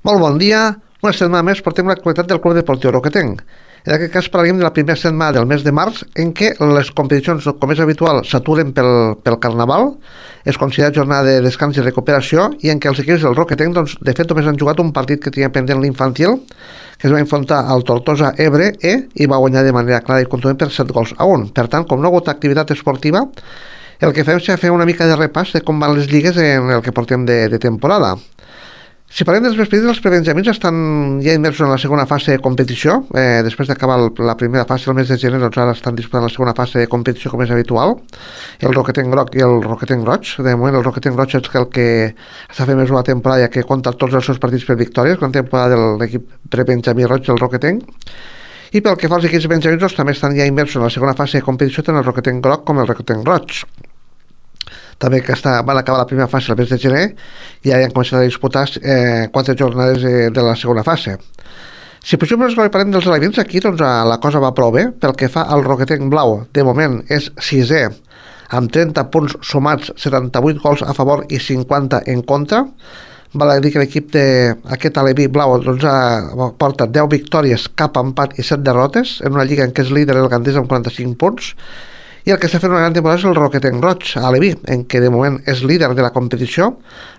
Molt bon dia. Una setmana més portem l'actualitat del Club Deportiu Roquetenc. En aquest cas parlarem de la primera setmana del mes de març, en què les competicions, com és habitual, s'aturen pel Carnaval, es considera jornada de descans i recuperació, i en què els equips del Roquetenc, doncs, de fet, només han jugat un partit que tenia pendent l'infantil, que es va enfrontar al Tortosa Ebre i va guanyar de manera clara i contundent per 7-1. Per tant, com no ha hagut activitat esportiva, el que fem és fer una mica de repàs de com van les lligues en el que portem de temporada. Si parlem dels partits, els prebenjamins estan ja immersos en la segona fase de competició. Després d'acabar la primera fase el mes de gener, doncs ara estan disputant la segona fase de competició, com és habitual, el Roquetenc Groc i el Roquetenc Roig. De moment el Roquetenc Roig és el que està fent més una temporada, ja que compta tots els seus partits per victòries, gran temporada de l'equip prebenjamí roig del Roquetenc. I pel que fa als equips benjamins, doncs, també estan ja immersos en la segona fase de competició, tant el Roquetenc Groc com el Roquetenc Roig. També que van acabar la primera fase el mes de gener i ja han començat a disputar 4 jornades de la segona fase. Si posem les parlem dels elements, aquí doncs, la cosa va prou bé. Pel que fa al Roquetenc Blau, de moment és 6è, amb 30 punts sumats, 78 gols a favor i 50 en contra. Val a dir que l'equip d'aquest aleví blau doncs, porta 10 victòries, cap empat i 7 derrotes, en una lliga en què és líder el Gandés amb 45 punts. I el que està fent una gran temporada és el Roquetenc Roig, a Aleví, en què de moment és líder de la competició,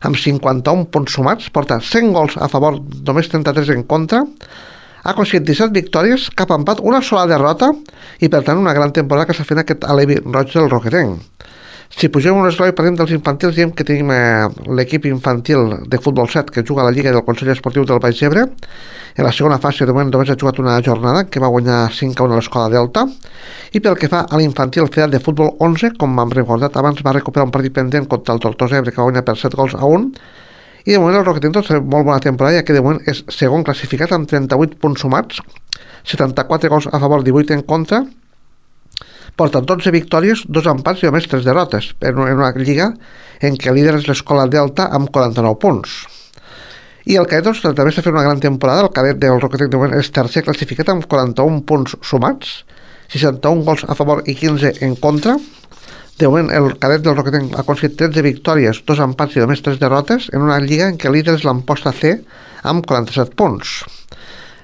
amb 51 punts sumats, porta 100 gols a favor, només 33 en contra, ha aconseguit 17 victòries, cap empat, una sola derrota, i per tant una gran temporada que està fent aquest Aleví Roig del Roquetenc. Si pugem un esglai i parlem dels infantils, diem que tenim l'equip infantil de futbol 7 que juga a la Lliga del Consell Esportiu del Baix Ebre. En la segona fase, de moment, només ha jugat una jornada, que va guanyar 5-1 a l'Escola Delta. I pel que fa a l'infantil Federat de Futbol 11, com hem recordat abans, va recuperar un partit pendent contra el Tortosa Ebre, que va guanyar per 7-1. I de moment el Roquetenc té molt bona temporada, ja que de moment és segon classificat amb 38 punts sumats, 74 gols a favor, 18 en contra. Porta 12 victòries, 2 empats i només 3 derrotes, en una lliga en què el líder és l'Escola Delta amb 49 punts. I el cadet doncs, també està fent una gran temporada. El cadet del Roquetenc de moment és tercer classificat amb 41 punts sumats, 61 gols a favor i 15 en contra. De moment el cadet del Roquetenc ha aconseguit 13 victòries, 2 empats i només 3 derrotes, en una lliga en què el líder és l'Amposta C amb 47 punts.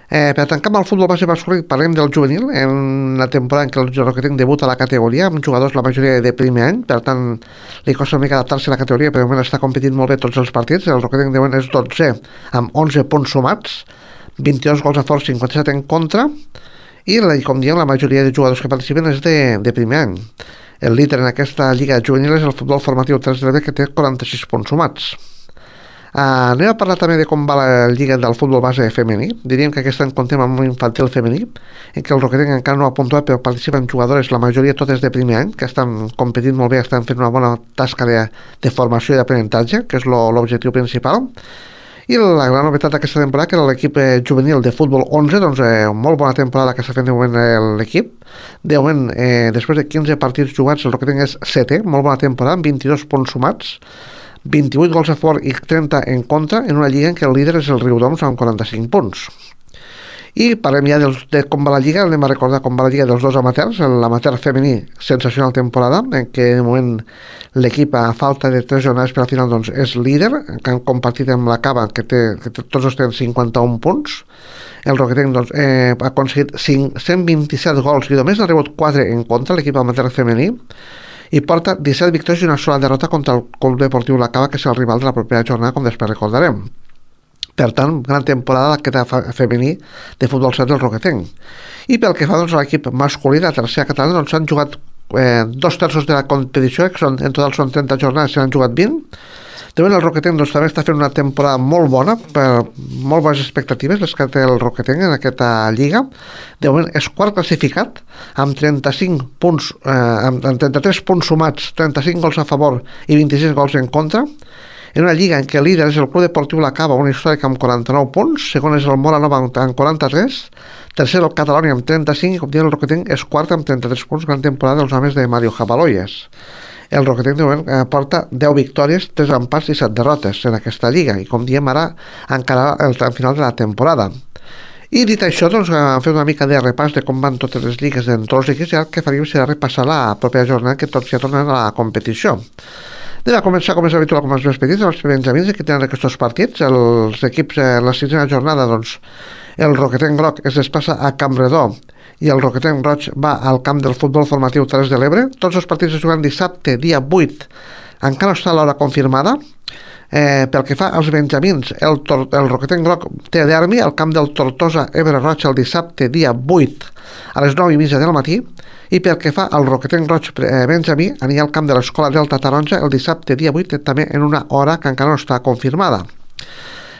Per tancar amb el futbol base masculí, parlem del juvenil, en la temporada en què el Roquetenc debuta a la categoria, amb jugadors la majoria de primer any, per tant li costa una mica adaptar-se a la categoria, però de moment està competint molt bé tots els partits. El Roquetenc de moment és 12è, amb 11 punts sumats, 22 gols a favor, 57 en contra, i com diem, la majoria de jugadors que participen és de primer any. El líder en aquesta lliga juvenil és el futbol formatiu 3 de l'Ebre, que té 46 punts sumats. Anem a parlar també de com va la lliga del futbol base femení. Diríem que aquest any comptem amb un infantil femení, en què el Roquetenc encara no ha puntuat, però participen jugadores, la majoria totes de primer any, que estan competint molt bé, estan fent una bona tasca de formació i d'aprenentatge, que és l'objectiu principal. I la gran novetat d'aquesta temporada, que era l'equip juvenil de futbol 11, doncs molt bona temporada que està fent de moment l'equip. De moment, després de 15 partits jugats, el Roquetenc és 7è, molt bona temporada, amb 22 punts sumats, 28 gols a favor i 30 en contra, en una lliga en què el líder és el Riudoms amb 45 punts. I parlem ja de com va la lliga. Anem a recordar com va la lliga dels dos amateurs. L'amateur femení, sensacional temporada, en què de moment l'equip, a falta de 3 jornades per al final, doncs és líder, que han compartit amb la Cava, que tots dos tenen 51 punts. El Roquetenc doncs, ha aconseguit 127 gols i només ha rebut 4 en contra, l'equip amateur femení, i porta 17 victòries i una sola derrota contra el Club Deportiu La Cava, que és el rival de la propera jornada, com després recordarem. Per tant, gran temporada aquest femení de futbol 7 del Roquetenc. I pel que fa doncs, a l'equip masculí de la tercera catalana, doncs s'han jugat 2/3 de la competició, que en total són 30 jornades, se n'han jugat 20. De moment el Roquetenc doncs, també està fent una temporada molt bona, per molt bones expectatives les que té el Roquetenc en aquesta lliga. De moment és quart classificat amb 35 punts, amb 33 punts sumats, 35 gols a favor i 26 gols en contra, en una lliga en què el líder és el Club Deportiu La Cava, una històrica amb 49 punts, segon és el Mora Nova amb 43, tercer el Catalònia amb 35, i com diem el Roquetenc és quart amb 33 punts, gran temporada dels homes de Mario Jabaloyes. El Roquetenc de moment porta 10 victòries, 3 empats i 7 derrotes en aquesta lliga, i com diem ara encara el tram final de la temporada. I dit això, doncs hem fet una mica de repàs de com van totes les lligues en tots els equips, i ara el que faríem serà repassar la propera jornada que tots ja tornen a la competició. Anem a començar, com és habitual, com els més petits, els benjamins, que tenen aquests partits. Els equips, la sisena jornada, doncs, el Roquetenc Groc es desplaça a Campredó i el Roquetenc Roig va al camp del futbol formatiu Terres de l'Ebre. Tots els partits es juguen dissabte, dia 8. Encara no està l'hora confirmada. Pel que fa als benjamins, el Roquetenc Groc té derbi al camp del Tortosa Ebre Roig el dissabte, dia 8, a les 9:30 del matí. I pel que fa al Roquetenc Roig benjamí, anirà al camp de l'Escola Delta Taronja el dissabte, dia 8, també en una hora que encara no està confirmada.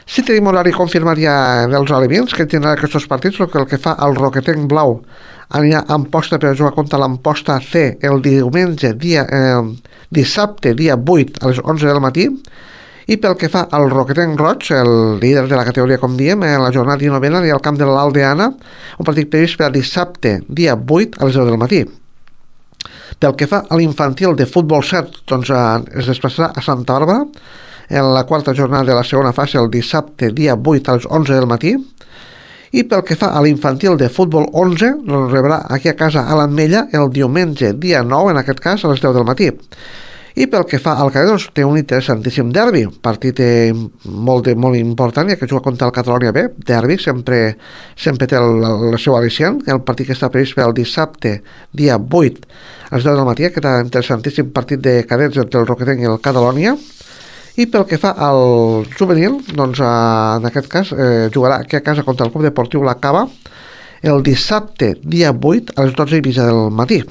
Si tenim horari confirmat ja dels alevins que tindran aquests partits, el que fa al Roquetenc Blau anirà a Amposta per jugar contra l'Amposta C el diumenge, dissabte, dia 8, a les 11 del matí. I pel que fa al Roquetenc Roig, el líder de la categoria, com diem, en la jornada 19 anirà al camp de l'Aldeana, un partit previst per a dissabte, dia 8, a les 10 del matí. Pel que fa a l'infantil de futbol 7, doncs es desplaçarà a Santa Bàrbara en la quarta jornada de la segona fase el dissabte, dia 8, a les 11 del matí. I pel que fa a l'infantil de futbol 11, doncs rebrà aquí a casa a l'Ametlla el diumenge, dia 9, en aquest cas, a les 10 del matí. I pel que fa al cadet, doncs, té un interessantíssim derbi, partit molt important, ja que juga contra el Catalonia B. Derbi sempre té el seu al·licient. El partit que està previst per el dissabte, dia 8, a les 10 del matí, aquest interessantíssim partit de cadets entre el Roquetenc i el Catalonia. I pel que fa al juvenil, doncs en aquest cas jugarà aquí a casa contra el Club Deportiu La Cava el dissabte, dia 8, a les 12:30 del matí.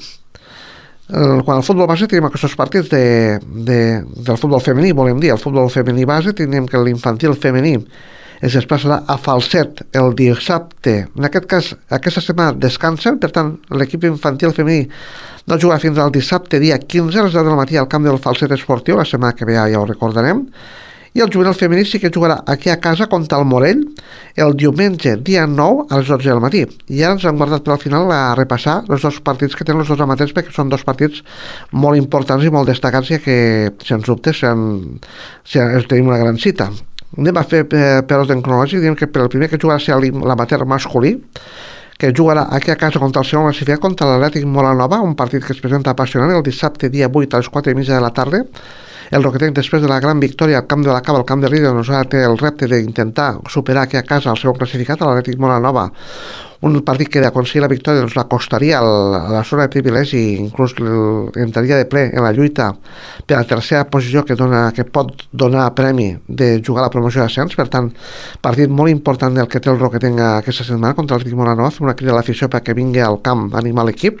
Quan al futbol base tenim aquests partits del futbol femení, volem dir, el futbol femení base tenim que l'infantil femení es desplaçarà a Falset el dissabte. En aquest cas, aquesta setmana descansen, per tant, l'equip infantil femení no jugarà fins al dissabte, dia 15, a les 10 del matí al camp del Falset Esportiu, la setmana que ve ja ho recordarem. I el juvenil femení sí que jugarà aquí a casa contra el Morell el diumenge, dia 9, a les 12 del matí. I ara ens hem guardat per al final a repassar els dos partits que tenen els dos amateurs, perquè són dos partits molt importants i molt destacats, ja que, sens dubte, tenim una gran cita. Anem a fer per ordre cronològic. Diem que per el primer que jugarà serà l'amateur masculí, que jugarà aquí a casa contra el segon classificat, contra l'Atlètic Molanova, un partit que es presenta apassionant el dissabte, dia 8, a les 4:30 de la tarda. El Roquetenc, després de la gran victòria al camp de la Cava, al camp de Líder, doncs ara té el repte d'intentar superar aquí a casa el segon classificat, l'Atlètic Molanova. Un partit que d'aconseguir la victòria doncs l'acostaria a la zona de privilegi i inclús entraria de ple en la lluita per la tercera posició que pot donar premi de jugar a la promoció d'ascens. Per tant, partit molt important el que té el Roquetenc aquesta setmana contra l'Atlètic Molanova, una crida a l'afició perquè vingui al camp a animar l'equip.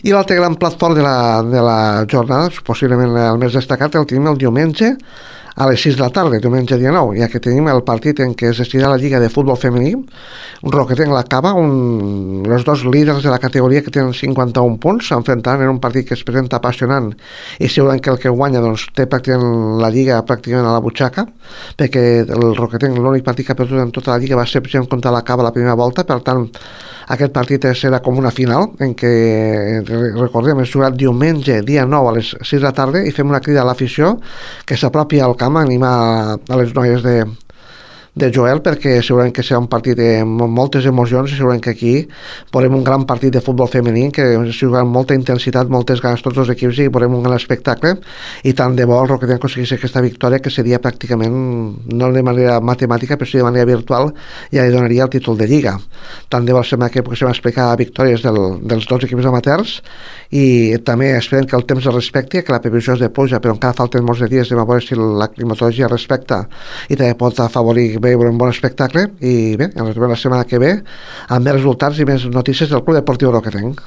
I l'altre gran plat fort de la jornada, possiblement el més destacat, el tenim el diumenge a les 6 de la tarda, diumenge dia 9, ja que tenim el partit en què es decidirà la Lliga de Futbol Femení. Un Roquetenc La Cava, els dos líders de la categoria que tenen 51 punts, s'enfrontaran en un partit que es presenta apassionant i segurament que el que guanya doncs, té pràcticament la Lliga pràcticament a la butxaca, perquè el Roquetenc l'únic partit que ha perdut en tota la Lliga va ser contra La Cava la primera volta. Per tant, aquest partit serà com una final en què, recordem, es jugarà diumenge dia 9 a les 6 de la tarda i fem una crida a l'afició que s'apropi al camp a animar a les noies de Joel, perquè segurament que serà un partit amb moltes emocions i segurament que aquí veurem un gran partit de futbol femení que es jugarà amb molta intensitat, moltes ganes tots els equips i veurem un gran espectacle. I tant de bo el Roquetenc aconseguís aquesta victòria, que seria pràcticament, no de manera matemàtica però sí de manera virtual, ja li donaria el títol de Lliga. Tant de bo la setmana que poguéssim explicar victòries dels dos equips amateurs, i també esperem que el temps es respecti, que la previsió és de pluja però encara falten molts de dies, a veure si la climatologia respecta i també pot afavorir veure un bon espectacle. I bé, ens veurem la setmana que ve amb més resultats i més notícies del Club Deportiu Roquetenc.